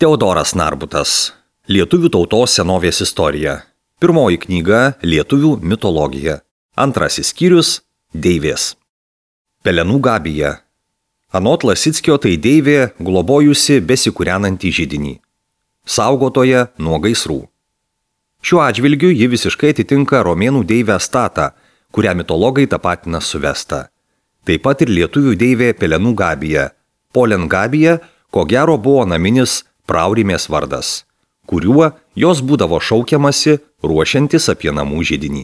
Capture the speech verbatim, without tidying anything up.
Teodoras Narbutas. Lietuvių tautos senovės istorija. Pirmoji knyga – Lietuvių mitologija. Antrasis skyrius – Deivės. Pelenų gabija. Anot Lasickio tai deivė globojusi besikūrenantį židinį. Saugotoja nuo gaisrų. Šiuo atžvilgiu ji visiškai atitinka romėnų deivę Statą, kurią mitologai tapatina su Vesta. Taip pat ir lietuvių deivė Pelenų gabija. Polen gabija, ko gero buvo naminis Praurimės vardas, kuriuo jos būdavo šaukiamasi ruošiantis apie namų židinį.